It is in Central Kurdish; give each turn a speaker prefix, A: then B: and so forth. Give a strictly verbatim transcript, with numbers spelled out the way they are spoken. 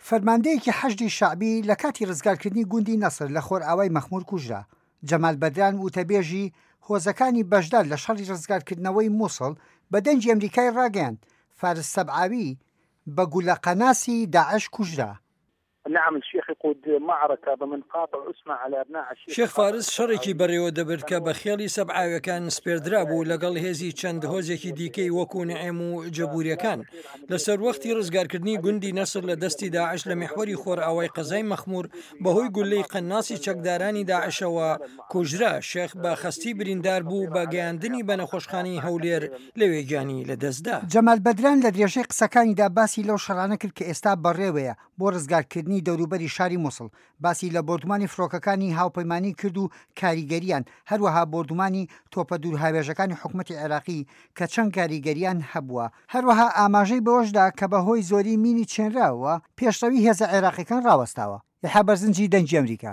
A: فەرماندەیەکی حەشدی شەعبی لە کاتی ڕزگارکردنی گوندی نەسر لە خۆرئاوای مەخمور کوژرا. جەمال بەدران وتەبێژی هۆزەکانی بەشدار لە شەڕی ڕزگارکردنەوەی موسڵ بە دەنگی ئەمریکای ڕاگەیاند فارس سەبعاوی بە گولە قەناسی داعش کوژرا.
B: نعم الشيخ يقود معركة بمن قاطع اسمه على ابناء عشيرة
C: شێخ فارس شەڕێکی بەڕێوە دەبرد کە بە خێڵی سەبعاویەکان سپێردرابوو لەگەڵ هێزی چەند هۆزێکی دیکەی وەکو نعێم و جەبوریەکان لە سەروەختی ڕزگارکردنی گوندی نەسر لە دەستی داعش لە میحوەری خۆرئاوای قەزای مەخمور بەهۆی گولەی قەناسی چەکدارانی داعشەوە کوژرا. شێخ بە خەستی بریندار بوو بە گەیاندنی بە نەخۆشخانەی هەولێر لەوێ گیانی لەدەستدا.
A: جەمال بەدران لە درێژەی قسەکانیدا باسی لەو شەڕانە کرد کە ئێستا بەڕێوەیە بۆ ڕزگارکردنی دەوروبەری شاری موسڵ، باسی لە بۆردومانی فڕۆکەکانی هاوپەیمانی کرد و کاریگەریان، هەروەها بۆردومانی تۆپە دوورهاوێژەکانی حکومەتی عێراقی کە چەند کاریگەریان هەبووە، هەروەها ئاماژەی بەوەشدا کە بەهۆی زۆری مینی چێنراوە پێشڕەوی هێزە عێراقیەکان ڕاوەستاوە. یحیی بەرزنجی، دەنگی ئەمریکا.